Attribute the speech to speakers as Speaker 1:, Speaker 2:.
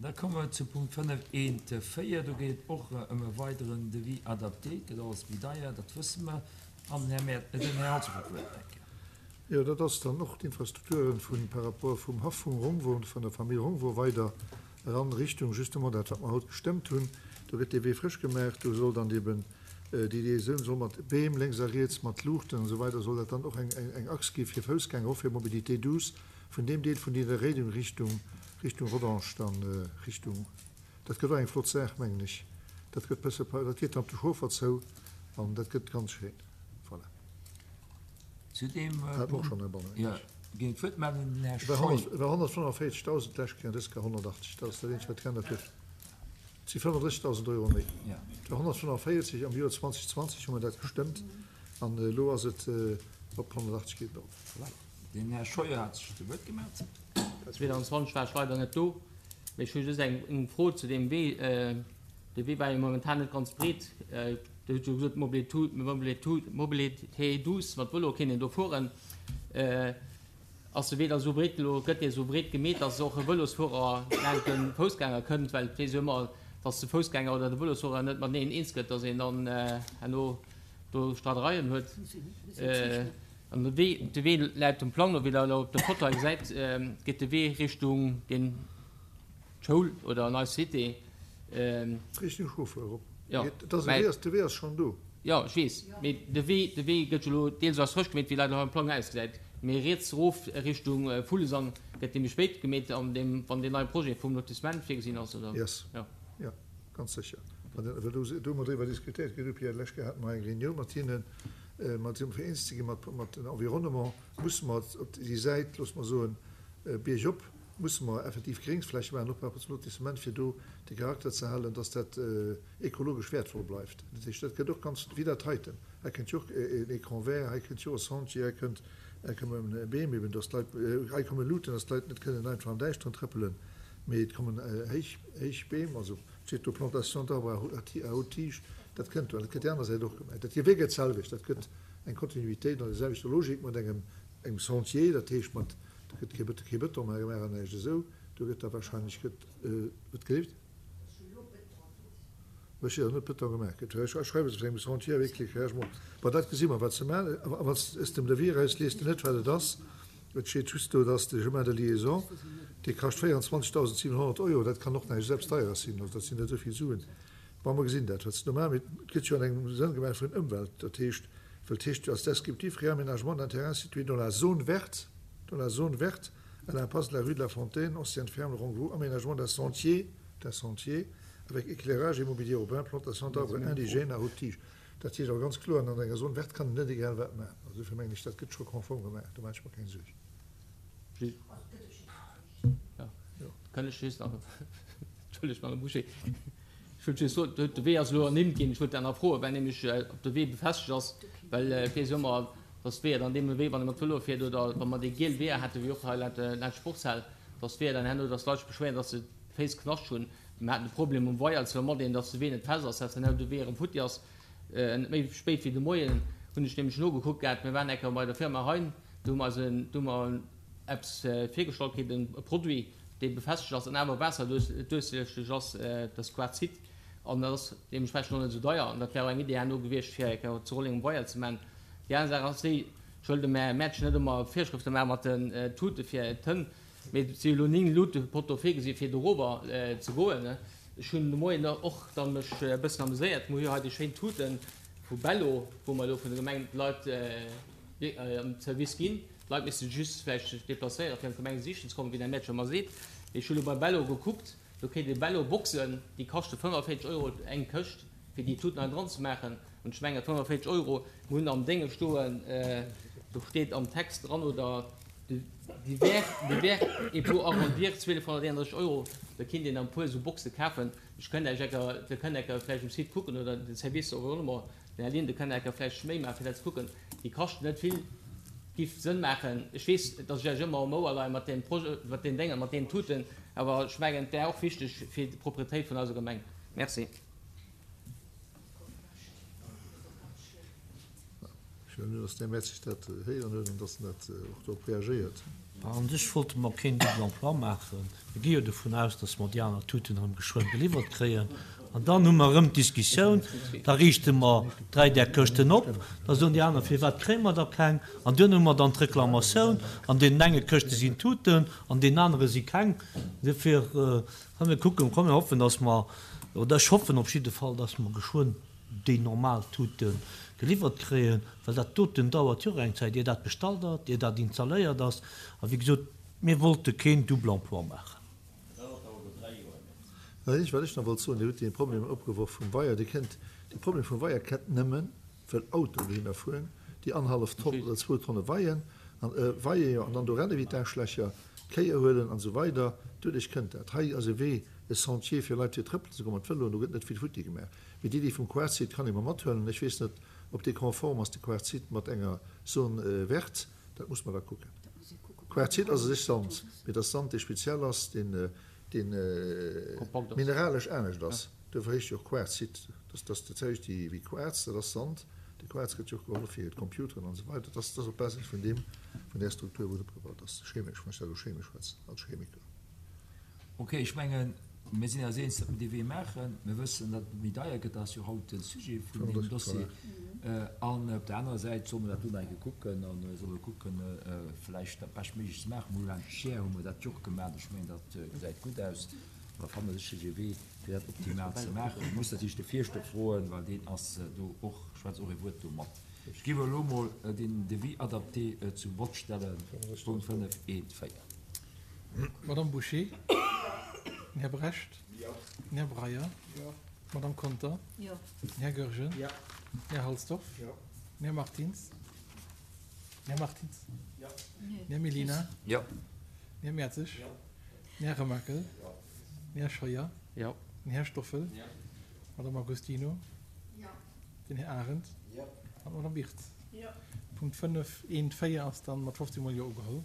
Speaker 1: Da komme mer zu Punkt 5, 1, 4. Do geet et och ëm e weideren Devis adapté. Et gëtt alles méi deier, dat wësse mer. An den Här Maire, den Här Hansen huet d'Wuert nach eng Kéier.
Speaker 2: Jo, dat ass dann och d'Infrastrukturen vun, par rapport vum Haff vum Rongwo, vun der Famill Rongwo weider eran Richtung justement dat, wat mer haut gestëmmt hunn. Do gëtt dee Wee frësch gemaach. Do soll dann eben déi Liaisoun soll mat Beem lénks a riets, mat Luuchten an esou weider soll dat dann och eng, eng Achs gi fir Foussgänger, och fir Mobilité douce vun deem Deel vun Nidderréideng Richtung, Richtung Rodange dann, Richtung, dat gëtt och eng flott Saach, mengen ech. Dat gëtt bësse, dat geet dann op de Chauffer zou an dat gëtt ganz schéin. Voilà.
Speaker 1: Zu deem Punkt ginn d'Wuert mellen den Här Scheu.
Speaker 2: Et war 145.000 d'lescht Kéier an dës Kéier 180. Dat ass dat eenzegt, wat geännert huet. Et si 35.000 Euro méi. Et war 145 am Joer 2020 hu mer dat gestëmmt an elo ass et op 180 geet et erop.
Speaker 1: Voilà. Den Här Scheuer hat sech zu Wuert gemellt.
Speaker 3: 2020 war ech leider net do, mee ech hu just eng Fro zu deem Wee. De Wee war jo momentan net ganz breet. Dir hutt jo gesot, Mobilité douce, mat Vëlo kéint een do fueren. Ass de Wee da sou breet elo, gëtt dee sou breet gemeet, datt och e Vëlosfuerer laanscht de Foussgänger kënnt? Well et weess jo ëmmer, datt de Foussgänger oder de Vëlosfuerer net mateneen eens gëtt, datt een dann herno do Streidereien huet. An de Wee, de Wee läit dem Plang no, wéi Der elo op der Foto hei gesäit, geet de Wee Richtung deen. D'Schoul oder an eis Cité.
Speaker 2: Richtung Chauffer erop. Jo, de Wee ass schonn do.
Speaker 3: Jo, ech weess, mee de Wee, de Wee gëtt jo elo deels ass frësch gemeet, wéi leider hei am Plang ausgesäit, mee riets erof Richtung Vullesang gëtt dee méi spéit gemeet, an deem, wann deen neie Projet vum Lotissement virgesinn ass, oder?
Speaker 2: Yes. Jo. Jo, ganz sécher. Wann den, well do, do hu mer driwwer diskutéiert, gell, Pierre, d'lescht Kéier hate mer eng Reunioun mat hinnen, mat fir eens ze gi mat, mat den Environnement, musse mer op déi Säit, loosse mer soen, biergop, musse mer effektiv Gréngsfläche maachen, och par rapport zum Lotissement, fir do de Charakter ze halen, dass dat ekologesch wäertvoll bleift. Dat heescht, dat gëtt och ganz, wéi dat heiten, hei kënnt jo och en Écran vert, hei kënnt jo och e Sentier, hei kënnt, hei komme Beem eben, dass d'Leit, hei komme Luuten, dass d'Leit net kënnen einfach am Däischteren trëppelen, mee et kommen héich, héich Beem, also et steet do Plantation d'arbres à haute tige, dat kënnt do an dat gëtt déi aner Säit och gemaach. Dat Wee gëtt d'selwecht, dat gëtt eng Kontinuitéit an der selwechter Logik mat engem, engem Sentier, dat heescht mat, Do gëtt kee Bëton, kee Bëton méi gemaach an näischt esou. Do gëtt da wahrscheinlech gëtt, wat gelift? Ech seet net Bëton gemaach gëtt. Ech schreiwe se vun engem Sentier avec éclairagement. Bon, dat gesi mer, wat se maachen. A wann s de dem Devis eraus liest de net, wat et ass. Et steet just do, dass de Chemin de liaison, dee kascht 24.700 Euro. Dat kann och näischt eppes Deieres sinn. Also dat sinn net esou vill Suen. Bon, mer gesinn dat, wat se do maachen. Mee et gëtt jo an engem Sënn gemaach vun Ëmwelt. Dat heescht, well et heescht jo als descriptif, Réaménagement d'un terrain situé dans la zone verte, dans la zone verte, à l'impasse de la rue de la Fontaine, ancienne ferme Rongvaux, aménagement d'un sentier, d'un sentier avec éclairage et mobilier urbain, plantation d'arbres indigènes à haute tige. Dat heescht awer ganz kloer, an enger Zone verte kann een net egal wat maachen. Also dofir mengen ech, dat gëtt scho konform gemaach, do maache ech mer keng Suerg.
Speaker 3: Kann ech just nach, Entschëllegt, Madame Bouché, ech wollt just soen, de Wee ass elo ernimmt ginn. Ech wollt dat nach froen, well nämlech ob de Wee befestegt ass, well et weess jo ëmmer, dass d'Weeër dann deemno wéi wann ee mat Vëlo fiert oder wa mer déi giel Weeër hätten, wéi och hei laanscht d'Sportshal, dass d'Weeër dann herno, dass d'Leit sech beschwéieren, dass se d'Féiss Knascht hunn. Mir haten de Problem um Weier zwar mat een, dass de Wee net fest ass, dass herno de Wee erëm futti ass. Net méi spéit wéi de Moien hunn ech nämlech nogekuckt gehat, mir waren eng Kéier bei der Firma Hein, do hu mer eis en, do hu mer eppes virgestallt kritt, e Produit, dee befestegt ass an awer waasserduerchsichteg ass, dat ass Quarzit, an dat ass deementsprechend och net esou deier. An dat wär och eng Idee herno gewiescht, fir eng Kéier zu Rolleng um Weier ze maachen. Déi aner Saach ass déi, ech wëll dem Här Mertsch net ëmmer Virschrëfte maache mat den Tute fir d'Hënn, mee et si jo elo 9 Lutepotto virgesi fir dorower ze goen. Ech hunn de Moien och da mech e bëssen ameséiert, mir hu jo hei déi schéin Tute vu Bello, wou mer elo vun der Gemeng d'Leit am Service ginn. D'Leit misste just vläicht sech deplacéieren, fir an d'Gemeng sichen ze kommen, wéi den Här Mertsch ëmmer seet. Mee ech hu lo bei Bello gekuckt, do kritt ee Bello-Boxen, déi kaschte 45 Euro eng Këscht, fir déi Tuten hei dran ze maachen. An ech mengen, 45 Euro, mir hunn am Dénge stoen, do steet am Text dran, oder divers, divers et pour arrondir 1231 Euro, da kinnt een dann e puer esou Boxe kafen. Ech kënnt Iech ecker, Dir kënnt ecker vläicht um Site kucken oder den Service Environnement, Den Här Linden kënnt enker vläicht méi maachen, fir dat ze kucken. Déi kaschten net vill, giff Sënn maachen. Ech weess, datt ech Iech ëmmer um Ouer leien mat deem Projet, mat deem Déngen, mat deenen Tuten, awer ech mengen, et wär och wichteg fir d'Propretéit vun eiser Gemeng. Merci.
Speaker 2: Ech huelen un, dass den Här Mertzig dat héieren huet an dass en dat och dorop reagéiert.
Speaker 4: A sech wollte mer keen Double emploi maachen. Mir gi jo dovun aus, dass mer déi aner Tuten erëm geschwënn geliwwert kréien. An dann hu mer erëm d'Diskussioun, da riichte mer 3 där Këschten op, da soen déi aner, firwat kréie mer da keng? An duerno hu mer dann d'Reklamatioun, an deenen enge Këschte sinn Tuten, an deenen anere si keng. Duerfir, komm mir kucken, komm mir hoffen, dass mer, oder ech hoffen op jidde Fall, dass mer geschwënn déi normal Tute geliwwert kréien, well dat doten dauert jo och eng Zäit, ier dat bestallt ass, ier dat installéiert ass. A wéi gesot, mir wollte keen Double emploi maachen.
Speaker 2: Wat ech nach wollt soen, Dir hutt dee Problem opgeworf vum Weier. Dir kennt, dee Problem vum Weier kennt nëmmen, well Autoen dohinner fueren, déi annerhallef Tonn oder zwou Tonne weien, an weie jo, an dann do renne wéi d'Aarschlächer, d'Kéier huelen an esou weider. Doduerch kënnt dat. Hei ass e Wee, e Sentier fir Leit fir trëppelen ze goen mat Vëloen, do gëtt net vill futti gemaach. Mee d'Iddi vum Quarzit kann ee mer mathuelen. Ech weess net, ob dee konform ass, de Quarzit mat enger Zone verte. Dat muss mer da kucken. Quarzit ass u sech Sand, mee et ass Sand, dee speziell ass, deen, deen mineralesch anescht ass. Duerfir heescht jo och Quarzit. Dat ass dat selwecht wéi Quarz, dat ass Sand. De Quarz gëtt jo och geholl fir d'Computeren an esou weider. Dat ass op Basis vun deem, vun där Struktur, wou et opgebaut ass, chemesch, wann ech dat elo chemesch schwätzen, als Chemiker.
Speaker 1: Ok, ech mengen, mir sinn eis eens, datt mir dee Wee maachen. Mir wëssen, datt et méi deier gëtt, dat ass jo haut de Sujet vun deem Dossier. An op der anerer Säit solle mer dat do nach eng Kéier kucken a solle kucken, vläicht dat Beschtméiglechst ze maachen. Moulin Scheer hu mer dat jo och gemaach. Ech mengen, dat gesäit gutt aus. Mer fanne sécherlech e Wee, fir dat optimal ze maachen. Ech muss natierlech de Fierschter froen, well deen ass do och, schwätzt och e Wuert do mat. Ech géif elo emol den Devis adapté zum Vott stellen, Punkt 5, 1, 4.
Speaker 5: D'Madame Bouché, den Här Brecht, den Här Breyer, d'Madame Conter, den Här Goergen, den Här Halsdorf, den Här Martins, den Här Martins, den Här Mellina, den Här Mertzig, den Här Remakel, den Här Scheuer, den Här Stoffel, d'Madame Agostino, den Här Arendt an d'Madame Wirtz. Punkt 5, 1, 4 ass dann mat 15 mol Jo ugeholl.